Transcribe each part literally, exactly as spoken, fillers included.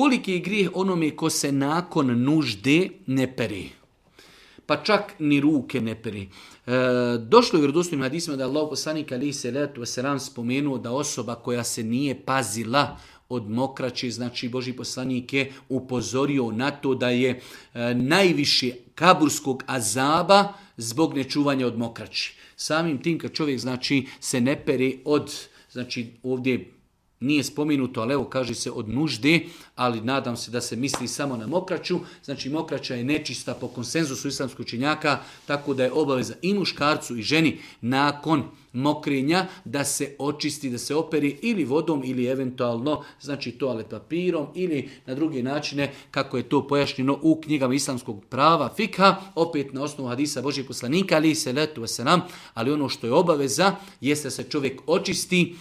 koliki je grijeh onome ko se nakon nužde ne pere. Pa čak ni ruke ne peri. E, došlo je u vjerodostojnim hadisima da je Allah poslanik alejhi selatu vesselam spomenuo da osoba koja se nije pazila od mokraće, znači Božji poslanik je upozorio na to da je e, najviše kaburskog azaba zbog nečuvanja od mokraći. Samim tim kad čovjek znači se ne pere od, znači ovdje nije spomenuto, ali evo kaže se od nužde, ali nadam se da se misli samo na mokraću. Znači mokraća je nečista po konsenzusu islamskog učenjaka, tako da je obaveza i muškarcu i ženi nakon mokrenja da se očisti, da se operi ili vodom ili eventualno znači toalet papirom ili na druge načine kako je to pojašnjeno u knjigama islamskog prava fikha, opet na osnovu hadisa Božjeg poslanika alejhi selatu vesselam, ali ono što je obaveza jeste da se čovjek očisti.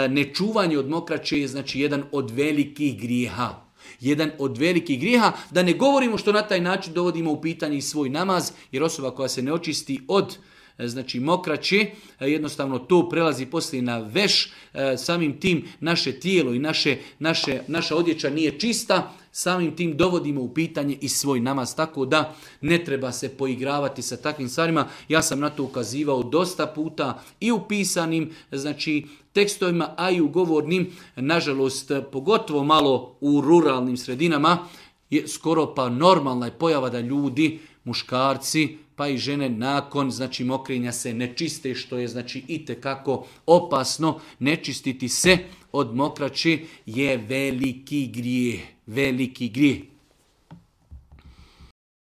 Nečuvanje od mokraće je znači jedan od velikih grijeha. Jedan od velikih grijeha, da ne govorimo što na taj način dovodimo u pitanje i svoj namaz, jer osoba koja se ne očisti od znači mokraće, jednostavno to prelazi poslije na veš, samim tim naše tijelo i naše, naše, naša odjeća nije čista, samim tim dovodimo u pitanje i svoj namaz, tako da ne treba se poigravati sa takvim stvarima. Ja sam na to ukazivao dosta puta i u pisanim znači tekstovima, a i u govornim, nažalost pogotovo malo u ruralnim sredinama, je skoro pa normalna je pojava da ljudi, muškarci, pa i žene nakon znači mokrenja se ne čiste, što je znači itekako opasno. Ne čistiti se od mokraće je veliki grijeh, veliki grijeh.